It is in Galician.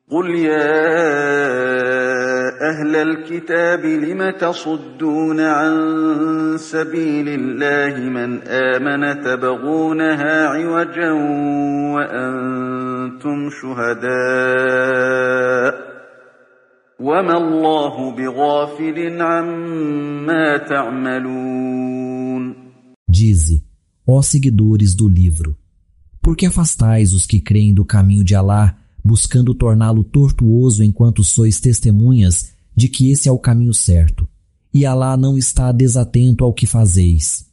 قل يا أهل الكتاب لم تصدون عن سبيل الله من آمن تبغونها عوجا وأنتم شهداء وما الله بغافل عما تعملون. Dize, ó seguidores do livro, por que afastais os que creem do caminho de Alá, buscando torná-lo tortuoso enquanto sois testemunhas de que esse é o caminho certo, e Alá não está desatento ao que fazeis.